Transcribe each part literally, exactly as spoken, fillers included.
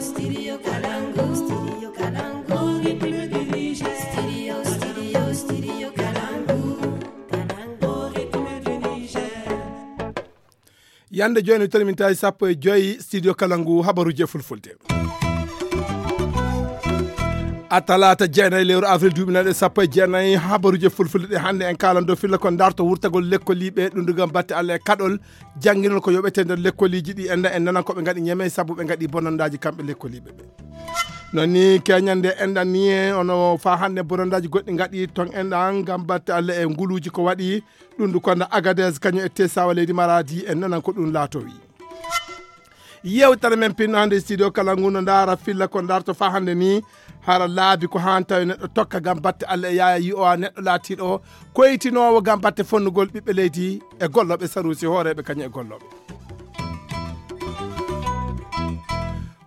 Studio Kalangu, Studio Kalangu, au rythme du Niger. Studio, studio, Studio Kalangu, Kalangu, au rythme du Niger. Yande jooni, tolni min tawi sappo e joyi, Studio Kalangu, habaruji e fulfulde. A talaata jeenayi lewru avril duuɓi nayi e sappo e jeenayi, habaruji e fulfulde ɗe hannde en kaalan dow filla ko darto wurtagol lekkoliiɓe ɗum dugal batte Allah e kaɗol jannginol ko yoɓete nder lekkoliiji ɗi en, en nanan ko ɓe ngaɗi ñeme sabu ɓe ngaɗi bonondaaji kamɓe lekkoliiɓe ɓe. Non ni keñande enɗan ni e ono fa hannde bonondaaji goɗɗi ngaɗi ton enɗan ngam batte Allah e nguluuji ko waɗi ɗum du konda Agadez kañum e Tesawa leydi Maradi en nanan ko ɗum laatowi. Yewtere men pinno hannde e studio kala ngu no ndaara filla ko darto fa hannde ni hara laabi ko haan tawi neɗɗo tokka ngam batte Allah e yaaya yi'owa neɗɗo laatiiɗo koytinoowo ngam batte fonnugol ɓiɓɓe leydi e gollooɓe saruusi hooreeɓe kañum e gollooɓe.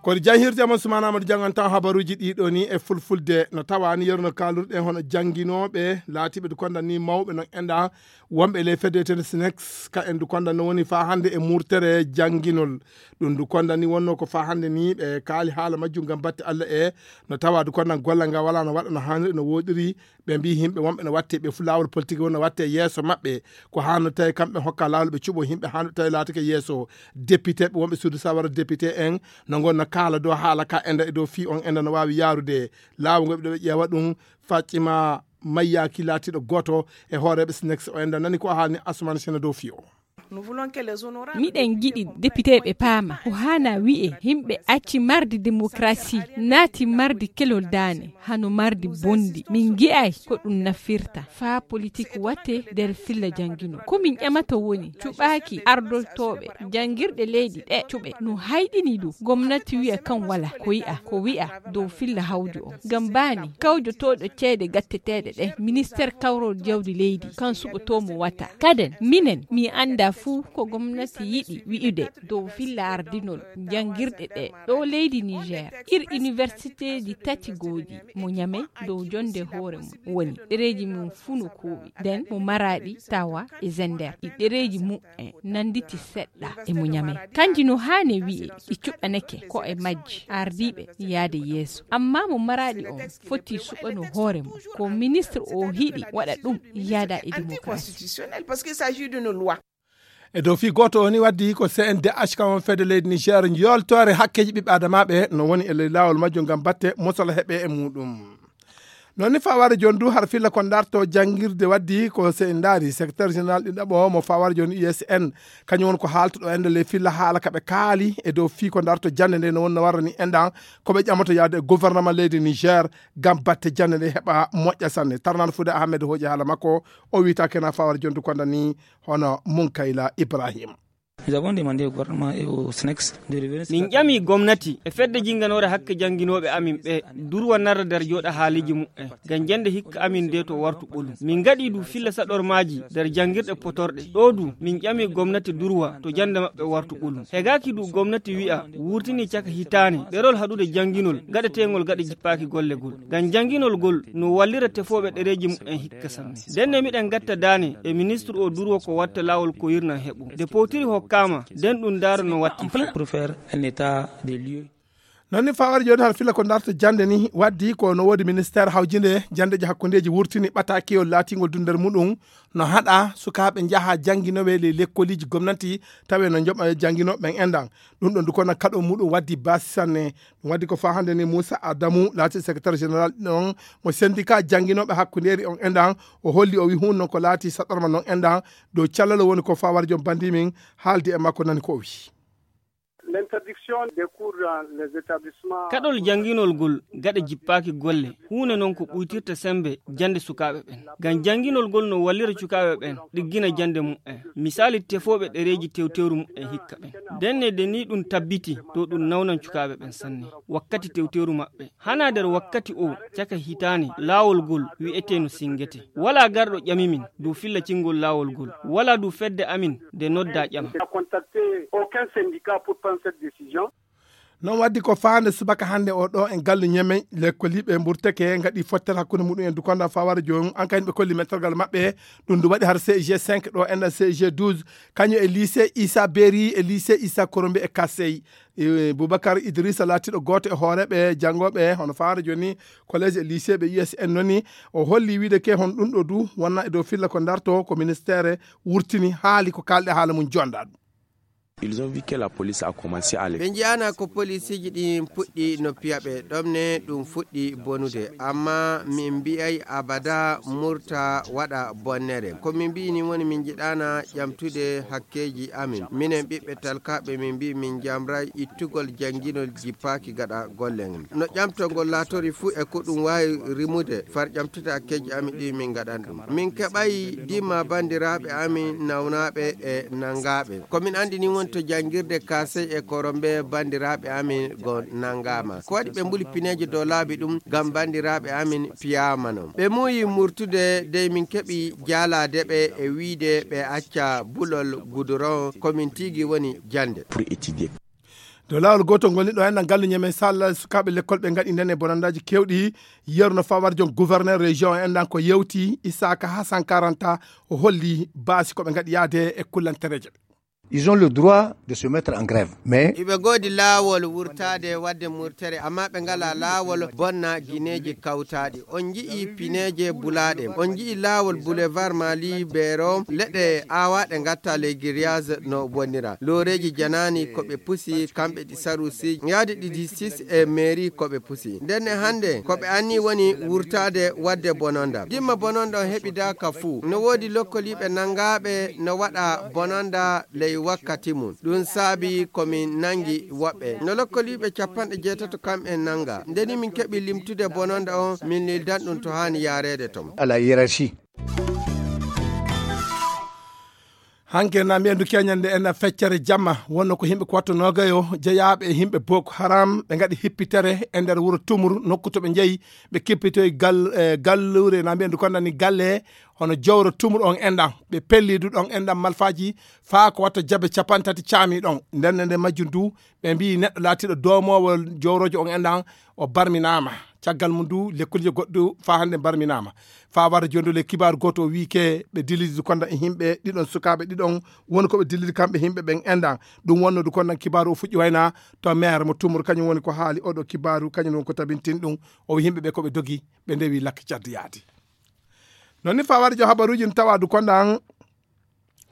Kono jahirde mon Sumana Amadou janngantaa habaruuji ɗiɗo ni e fulfulde no tawaani yerno kaalurɗen hono jannginooɓe laatiiɓe du konda ni mawɓe non enɗa wonɓe ley fedde wiyetende sinex ka en du konda no woni fa hannde e murtere jannginol. Ɗum du konda ni wonno ko fa hannde ni ɓe kaali haala majjum ngam batte Allah e no tawa du konda gollal ngal wala no waɗa no haaniri no woɗiri. Ɓe mbi yimɓe wonɓe no watte ɓe fu laawol politique won no watte yeeso maɓɓe ko haano tawi kamɓe hokka laawol ɓe cuɓo yimɓe haano tawi laatake yeeso. Député ɓe wonɓe suudu sawara député en no ngon no kaala dow haala ka enda e dow fii on enda no waawi yaarude. Laawol ngol ɓe ɗo ɓe ƴeewa ɗum faccima mayyaaki laatiiɗo gooto e hooreeɓe sinex o enda nani ko haalni Asumani Sena dow fii o. Miɗen ngiɗi depiteeɓe paama ko haana wi'e yimɓe acci mardi demokrasi naati mardi kelol daane hano mardi bonndi. Min ngi'ay ko ɗum nafirta faa politik watte nder filla janngino. Ko min ƴamata woni cuɓaaki ardotooɓe janngirɗe leydi ɗe cuɓe no hayɗini ɗum. Gomnati wi'a kan wala ko yi'a ko wi'a dow filla hawju on. Ngam baani kawjotooɗo ceede gatteteeɗe ɗe ministeer kawrol jawdi leydi kan suɓotoo mo wata. Kaden minen mi anndaa fuu ko gomnati yiɗi wi'ude dow filla ardinol janngirɗe ɗe ɗo leydi Niger. Ir iniwersiteeji tati goodi mo Ñamey dow jonnde hoore mum woni ɗereeji mum fuu no kuuɓi. Nden mo Maraaɗi, Tawa e Zender ɗi ɗereeji mum en nannditi seɗɗa e mo Ñamey. Kanji no haani wi'e ɗi cuɓanake ko e majji ardiiɓe yaade yeeso. Amma mo Maraaɗi on foti suɓano hoore mum. Ko ministre o hiɗi waɗa ɗum yaada e démocratie. E dow fii gooto o ni waddi ko C N D H kam on fedde leydi Niger yooltoore hakkeeji ɓiɓɓe adamaaɓe no woni e ley laawol majjum ngam batte mosala heɓe e muuɗum. Noon ni fawaade jooni du har filla ko darto janngirde waddi ko se en ndaari secrétaire général ɗiɗaɓo mo fawaade jooni U S N kañum woni ko haaltuɗo ende ley filla haala ka ɓe kaali e dow fii ko darto jannde nde no wonno warrani enɗan ko ɓe ƴamoto yaade e gouvernement leydi Niger ngam batte jannde nde heɓa moƴƴa sanne. Tarnan Fude Ahmed hooƴi haala makko o wiita kena fawaade jooni du konda ni hono Munkayla Ibrahim. Nous avons demandé au gouvernement et au SNEX de revenir sur min ƴami gomnati e fedde jinnganoore hakke jannginooɓe amin ɓe durwa narra nder jooɗa haaliji mu'en ngam jannde hikka amin nde to wartu ɓolum. Min ngaɗi du filla saɗormaaji nder janngirɗe potorɗe. Ɗo du min ƴami gomnati durwa to jannde maɓɓe wartu ɓolum. Hegaaki du gomnati wi'a wurtini caka hitaane ɗerol haɗude jannginol gaɗeteengol gaɗa jippaaki golle gol. Ngam jannginol gol no wallira tefooɓe ɗereeji mu'en hikka sanne. Ndenne miɗen ngatta daane e ministre o durwo ko watta laawol ko yirnan heɓo. Nde powtiri hokkaama, nden ɗum ndaara no watta. Pour faire un état des lieux. Noon ni fawaade jooni har fila ko darta jannde ni waddi ko no woodi ministeer hawjinde janndeeji hakkundeeji wurtini ɓataakiyol laatingol du nder muɗum no haɗa sukaaɓe njaha jannginowe ley lekkoliiji gomnati tawe no njoɓa jannginooɓe ɓen enɗan. Ɗum ɗon du kono kaɗo muɗum waddi baasi sanne. Ɗum waddi ko faa hannde ni Muusa Adamu laati secrétaire général ɗon mo syndicat jannginooɓe hakkundeeri on enɗan. O holli o wi hun non ko laati saɗɗorma non enɗan dow callalo woni ko faa war joom bandi min haaldi e makko nani ko o wi. L'interdiction des cours dans les établissements. Kaɗol jannginol gol gaɗa jippaaki golle huunde non ko ɓuytirta sembe jannde sukaaɓe ɓen. Ngam jannginol gol no wallira cukaaɓe ɓen ɗiggina jannde mu'en. Misaali tefooɓe ɗereeji tewtewru mu'en hikka ɓen. Ndenne de ni ɗum tabbiti to ɗum nawnan cukaaɓe ɓen sanne wakkati tewtewru maɓɓe. Hana nder wakkati o caka hitaane laawol gol wi'etee no singete. Walaa garɗo ƴami min dow filla cingol laawol gol. Walaa du fedde amin nde noddaa ƴama. N'a contacté aucun syndicat pour prendre cette décision. Noon waddi ko faande subaka hannde o ɗo en gallu ñemeñ, lekkoliiɓe mburteke ngaɗi fottere hakkunde muɗum en dukonda fawara jooni, an kayen ɓe kolli mettergal maɓɓe. Ɗum ndu waɗi har C G cinq ɗo enɗan C G douze, kañum e lycée Issa Beri e lycée Issa Korombe e Kassey. E, Boubacar Idrissa laatiiɗo gooto e hooreeɓe janngooɓe hono fawara jooni collège e lycée ɓe U S N noon ni, o holli wiide ke hon ɗum ɗo du wonna e dow filla ko darto ko ministère wurtini haali ko kaalɗe haala mum jonda ɗum. Ils ont vu que la police a commencé à les... Ɓe njiyaana ko polisiiji ɗi puɗɗi no piya ɓe ɗomne ɗum fuɗɗi bonude, amma min mbiyay abada murta waɗa bonnere. Ko min mbiyi ni woni min njiɗaana ƴamtude hakkeeji amin. Minen ɓiɓɓe talkaaɓe min mbiyi min njamray ittugol jannginol jippaaki gaɗa golle ngen. No ƴamtol ngol laatori fuu e ko ɗum waawi rimude, far ƴamtude hakkeeji amin ɗi min ngaɗan ɗum. Min keɓay dimma banndiraaɓe amin nawnaaɓe e nanngaaɓe. Ko min anndi ni woni to janngirde Kaasey e Korombe banndiraaɓe amin go nanngaama. Ko waɗi ɓe mbuli pineeje dow laabi ɗum ngam banndiraaɓe amin piyaama non. Ɓe muuyi murtude dey min keɓi jaalaade ɓe e wiide ɓe acca bulol guduron ko min tigi woni jannde. Pour étudier. Dow laawol gootol ngol ni ɗo enɗan gallu ñemen salla sukaaɓe lekkol ɓe ngaɗi nden e bonandaaji keewɗi. Yeru no fawar jon gouverneur région en enɗan ko yewti Isaka Hassan Karanta, o holli baasi ko ɓe ngaɗi yaade e kullantereeje. Ils ont le droit de se mettre en grève, mais iɓe goodi laawol wurtaade wadde murtere, amma ɓe ngala laawol bonna gineeji kawtaaɗi. On nji'i pineeje bulaaɗe, on nji'i laawol boulevard Mali Bero, leɗɗe aawaaɗe ngatta les grillage no bonnira. Looreeji janaani ko ɓe pusi, kamɓe ɗi sarusi, yaade ɗi disis e mairie ko ɓe pusi. Ndenne hannde ko ɓe anni woni wurtaade wadde bononda. Dimma bononda on heɓidaaka fuu. No woodi lokkoliiɓe nanngaaɓe no waɗa bononda ley wakkati mum. Ɗum saabi ko min nanngi woɓɓe. No lokkoliiɓe capanɗe jeetato kamɓe nannga. Ndeni min keɓi limtude bononda on, min lildan ɗum to haani yaareede ton. À la hiérarchie. Hanke na mbiyen du keñande en feccere jamma, wonno ko yimɓe ko watto noogayo jeyaaɓe e yimɓe Boko Haram, ɓe ngaɗi hippitere e nder wuro Tumur, nokku to ɓe njeyi, ɓe kippitoyi gal-, eh, galluure, na mbiyen du kondani galle, hono jowro Tumur on enɗan, ɓe pelli du ɗon enɗan malfaaji, faa ko watta jabe capanɗe tati caami ɗon. Nden nde majjum du, ɓe mbiyi neɗɗo laatiiɗo doomoowo jowroojo on enɗan, o barminaama. Caggal mum du, lekkolje goɗɗo faa hannde barminaama. Faa warde jooni le kibaaru gooto o wiyi ke ɓe dilidi konda e yimɓe ɗiɗon sukaaɓe ɗiɗon, woni ko ɓe dilidi kamɓe yimɓe ɓen enɗan. Ɗum wonno du kondan kibaaru o fuɗɗi wayna to maire mo Tumur, kañum woni ko haali oɗo kibaaru, kañum woni ko tabintin ɗum. O wiyi yimɓe ɓe ko ɓe dogi, ɓe ndewi lakke caddi yaadi. Non ni faa warde jo habaruuji no tawa du kondan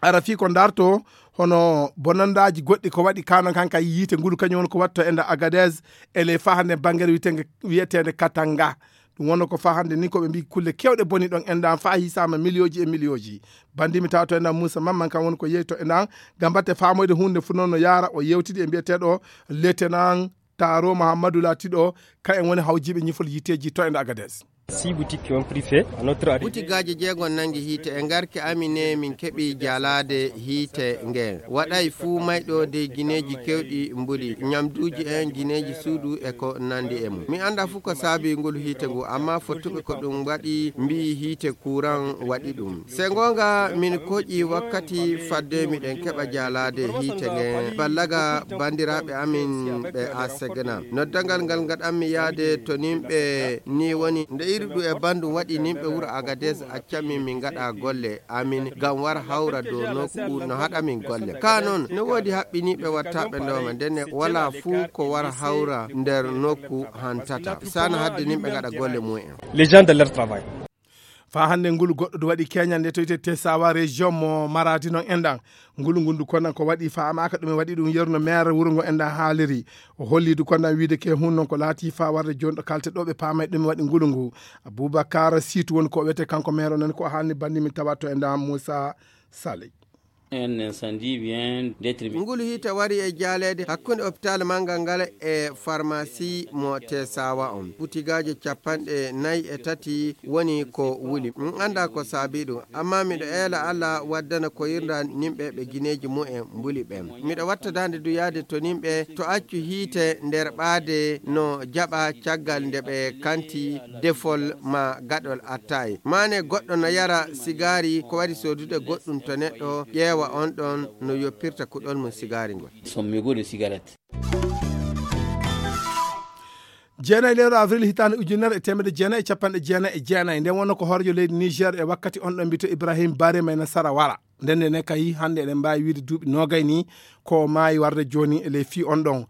ara fii ko ndarto hono bonandaaji goɗɗi ko waɗi kanon kan kay yiite ngulu kañum woni ko watto e nder Agadez e ley faa hannde banngere wiyeteende, wiyeteende Katanga. Ɗum wonno ko faa hannde ni ko ɓe mbii kulle keewɗe boni ɗon enɗan faa hisaama miliyooji e miliyooji. Banndi mi tawa to enɗan Muusa Mamman kan woni ko yehi to enɗan ngam batte faamoyde huunde fu noon no yaara o yewtidi e mbiyeteeɗo Lieutenant Taro Mahamadou laatiiɗo ka en woni hawjiiɓe ñifol yiiteeji to enɗan Agadez. Six boutiques qui ont pris feu à notre arrivée. Butigaaji jeegon nangi hiite e ngarke amin ne min keɓi jaalaade hiite ngeen. Waɗay fuu mayɗo dey gineeji kewɗi mbuli, ñamduuji en, gineeji suudu e ko nandi e mum. Mi annda fuu ko saabi ngol hiite ngu, amma fottuɓe ko ɗum waɗi mbiyi hiite kuuran waɗi ɗum. Se ngoonga min koƴi wakkati fadde miɗen keɓa jaalaade hiite ngeen. Ballaga banndiraaɓe amin ɓe a segna. Noddangal ngal ngaɗanmi yaade to nimɓe ni woni nde iri ɗum e banndum waɗi nimɓe wuro Agadez accamin min ngaɗa golle amin ngam war hawra dow nokku no haɗamin golle. Ka noon no woodi haɓɓiniiɓe wattaaɓe ndooma ndenne walaa fuu ko war hawra nder nokku hantata. Sana hadde nimɓe ngaɗa golle mumen. Les gens de leur travail. Faa hannde ngulu goɗɗo du waɗi keñande to wiyetee Tesawa région mo Maradi non enɗan. Ngulu ngundu konan ko waɗi faamaaka ɗum e waɗi ɗum yeru no maire wuro ngo enɗan haaliri. O holli du konan wiide ke hun non ko laati faa warde jooni ɗo kalte ɗo ɓe paamay ɗum e waɗi ngulu ngu. Abubakar Siitu woni ko wiyetee kanko maire o nani ko o haalni banndi min tawa to enɗan Muusa Saley. Un incendie vient d'être mis. Ngulu hiite wari e jaaleede hakkunde hôpital manngal ngal e pharmacie mo Tesawa on. Butigaaji capanɗe nayi e tati woni ko wuli. Min annda ko saabi ɗum, amma miɗo eela Alla waddana ko yirnda nimɓe ɓe gineeji mumen mbuli ɓen. Miɗo watta daande du yaade to nimɓe to accu hiite nder ɓaade no jaɓa caggal nde ɓe kanti defol ma gaɗol attaye. Maane goɗɗo no yara sigaari, ko waɗi soodude goɗɗum to neɗɗo ƴeewa on ɗon no yoppirta kuɗol mum sigaari ngol. Son mégot de cigarette. Jeenayi lewru avril hitaande ujunere e teemedde jeenayi e capanɗe jeenayi e jeenayi, nden wonno ko hooreejo leydi Niger e wakkati on ɗon mbiyetee Ibrahim Bare Maynasara wara. Nden ne kay hannde eɗen mbaawi wiide duuɓi noogay ni ko maayi warde jooni e ley fii on ɗon.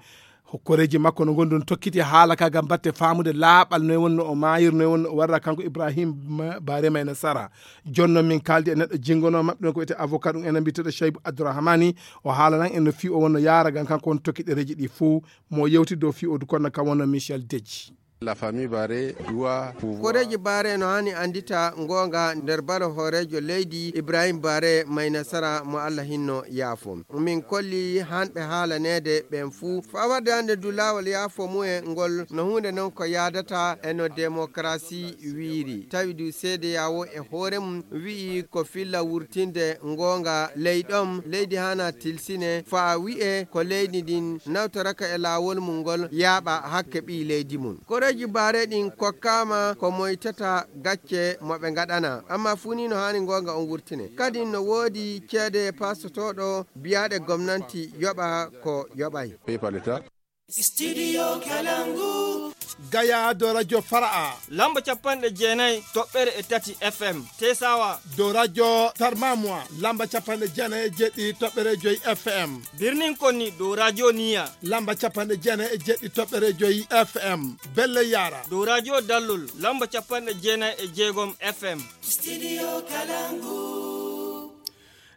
Hokkoreeji makko no ngonduno tokkiti haala ka ngam batte faamude laaɓal noy wonno o maayir, noy wonno o warra kanko Ibrahim Bare Maynasara. Jonno min kaaldi e neɗɗo jingono maɓɓe ɗon ko wiyetee avocat ɗum enen mbiyetee Shaibu Abdurrahmani. O haalanan en no fii o wonno yaara ngam kanko won tokkiɗereeji ɗi fuu. Mo yewti dow fii o du kono kam wonno Michel Deji. La famille Bare doit pouvoir. Koreeji Bare no hani andita ngonga nder balo hooreejo leydi Ibrahim Bare Maynasara mo Allah hinno yaafo. Min kolli hanɓe haalaneede ɓen fuu. Faa warde hannde du laawol yaafo mu'en ngol no huunde non ko yaadata e no demokarasi wiiri. Tawi du seede yawo e hoore mum wi'i ko filla wurtinde ngonga ley ɗon leydi hana tilsine faa wi'e ko leydi ndin nawtoraka e laawol mum ngol yaaɓa hakke ɓii leydi mum. Koreeji Bare ɗin kokkaama ko moytata gacce mo ɓe ngaɗana. Amma fuu ni no haani ngonga on wurtine. Kadi no woodi ceede pastotooɗo biyaaɗe gomnanti yoɓa ko yoɓay. Payé par l'État. Studio Kalangu. Gaya do radio Fara'a. Lamba capanɗe jeenayi toɓɓere e tati F M. Tesawa. Do radio Tarmamwa. Lamba capanɗe jeenayi e jeɗɗi toɓɓere joyi F M. Birnin Konni do radio Niya. Lamba capanɗe jeenayi e jeɗɗi toɓɓere joyi F M. Belle Yara. Do radio Dallol. Lamba capanɗe jeenayi e jeegom F M. Studio Kalangu.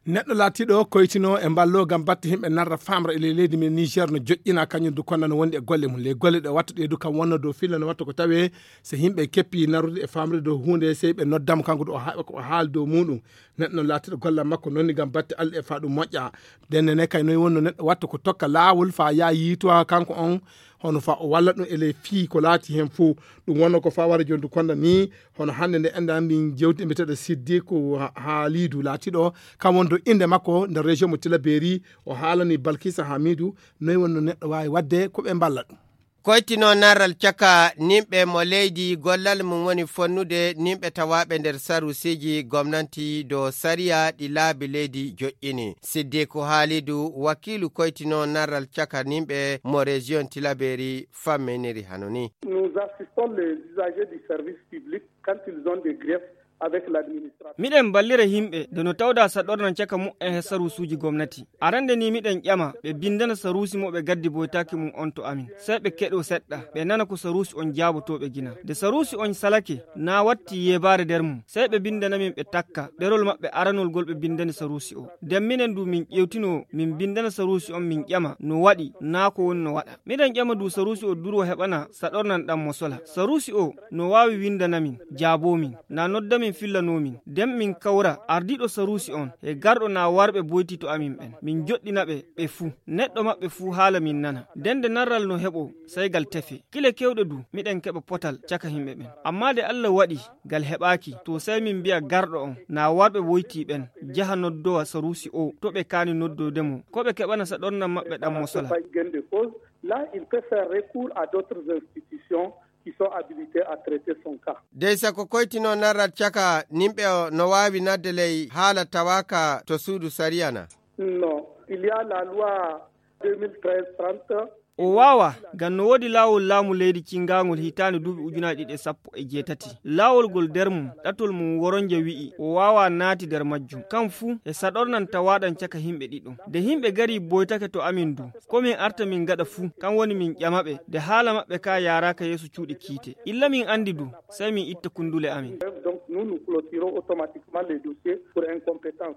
Neɗɗo laatiiɗo koytino e mballo ngam batte yimɓe narra famra e ley leydi men Niger no joƴƴina kañum du konna no wondi e golle mum. Ley golle ɗe watta ɗe du kam wonno dow filla no watta ko tawe so yimɓe keppi narrude e famrude dow huunde sey ɓe noddamo kanko du o ha-, ko o haali dow muɗum. Neɗɗo no laatiiɗo gollal makko nonni ngam batte Allah e faa ɗum moƴƴa. Ndenne ne kay noy wonno neɗɗo watta ko tokka laawol faa yaa yiitowa kanko on hono faa o walla ɗum e ley fii ko laati heen fof. Ɗum wonno ko faa wara jondu konda ni hono hannde nde enda min jewti e mbiyeteeɗo Siddiku Ha-, Haalidu laatiiɗo kam woni to innde makko nder région mo Tilaberi. O haalani Balkisa Hamidu noy wonno neɗɗo waawi waɗde ko ɓe mballa ɗum. Koytino narral caka nimɓe mo leydi gollal mum woni fonnude nimɓe tawaaɓe nder sarusiiji gomnanti dow sariya ɗi laabi leydi joƴƴini. Siddiku Haalidu, wakiilu koytino narral caka nimɓe mo région Tilaberi famminiri hano ni. Nous assistons les usagers du service public quand ils ont des griefs avec l'administration. Miɗen ballira yimɓe nde no tawda saɗornan caka mu'en he sarusuuji gomnati. Arande ni miɗen ƴama ɓe bindana saruusi mo ɓe gaddi boytaaki mum on to amin. Sey ɓe keɗo seɗɗa, ɓe nana ko saruusi on jaabotoo ɓe gina. Nde saruusi on salake, na watti yeebaare nder mum. Sey ɓe bindana min ɓe takka, ɗerol maɓɓe aranol gol ɓe bindani saruusi o. Nden minen du min ƴewtino, min bindana saruusi on min ƴama no waɗi, na ko woni no waɗa. Miɗen ƴama du saruusi o duro heɓana saɗornan ɗan mo sola. Saruusi o no waawi windana min, jaaboo min, na nodda min fillanoo min. Nden min kawra ardiiɗo saruusi on, he garɗo na warɓe boyti to amin ɓen. Min joɗɗina ɓe, ɓe fuu. Neɗɗo maɓɓe fuu haala min nana. Nden nde narral no heɓo, sey gal tefe. Kile kewɗe du, miɗen keɓa potal caka yimɓe ɓen. Amma nde Allah waɗi, gal heɓaaki, to sey min mbi'a garɗo on, na warɓe woyti ɓen, jaha noddowa saruusi o, to ɓe kaani noddoyde mo. Ko ɓe keɓana saɗornan maɓɓe ɗan mo sola. Pas gain de cause. Là, il peut faire recours à d'autres institutions qui sont habilitées à traiter son cas. Dey sako koytino narral caka nimɓe o no waawi nadde ley haala tawaaka to suudu sariya na? Non, il y a la loi deux mille treize trente. O waawa, ngam no woodi laawol laamu leydi cingaangol hitaande duuɓi ujunaaji ɗiɗi e sappo e jeetati. Laawol ngol nder mum, ɗatol mum woronje wi'i, o waawa naati nder majjum. Kam fuu, e saɗornan tawaaɗan caka yimɓe ɗiɗo. Nde yimɓe gari boytake to amin du, ko min arta min ngaɗa fuu, kam woni min ƴama ɓe, nde haala maɓɓe ka yaaraaka yeeso cuuɗi kiite. Illa min andi du, sey min itta kundule amin. Donc, nous, nous clôturons automatiquement les dossiers pour incompétence.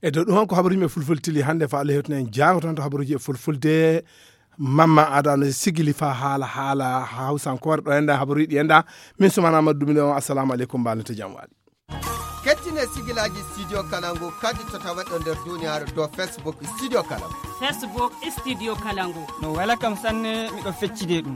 E dow ɗum on ko habaruuji men fulfulde tili hannde faa Allah hewtina en jaango tan to habaruuji e fulfulde. Mamma Ada no sigili faa haala, haala hawsankoore ɗo enda habaruuji ɗi enda. Min Sumana Amadou Dumine on, assalamu aleykum, mbaal no to jam waali. Kettine sigilaaji Studio Kalangu kadi to taweɗo nder duniyaaru dow Facebook Studio Kalangu. Facebook Studio Kalangu. No wela kam sanne, miɗo feccide ɗum.